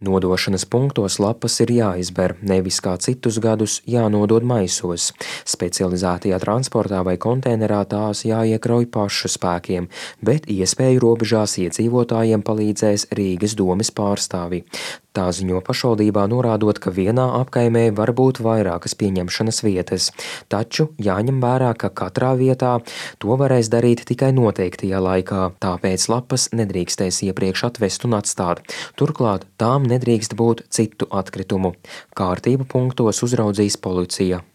Nodošanas punktos lapas ir jāizber, nevis kā citus gadus jānodod maisos. Specializētajā transportā vai konteinerā tās jāiekrauj pašu spēkiem, bet iespēju robežās iedzīvotājiem palīdzēs Rīgas domes pārstāvji. Tā ziņo pašvaldībā, norādot, ka vienā apkaimē var būt vairākas pieņemšanas vietas, taču jāņem vērā, ka katrā vietā to varēs darīt tikai noteiktajā laikā, tāpēc lapas nedrīkstēs iepriekš atvest un atstāt. Turklāt tām nedrīkst būt citu atkritumu. Kārtību punktos uzraudzīs policija.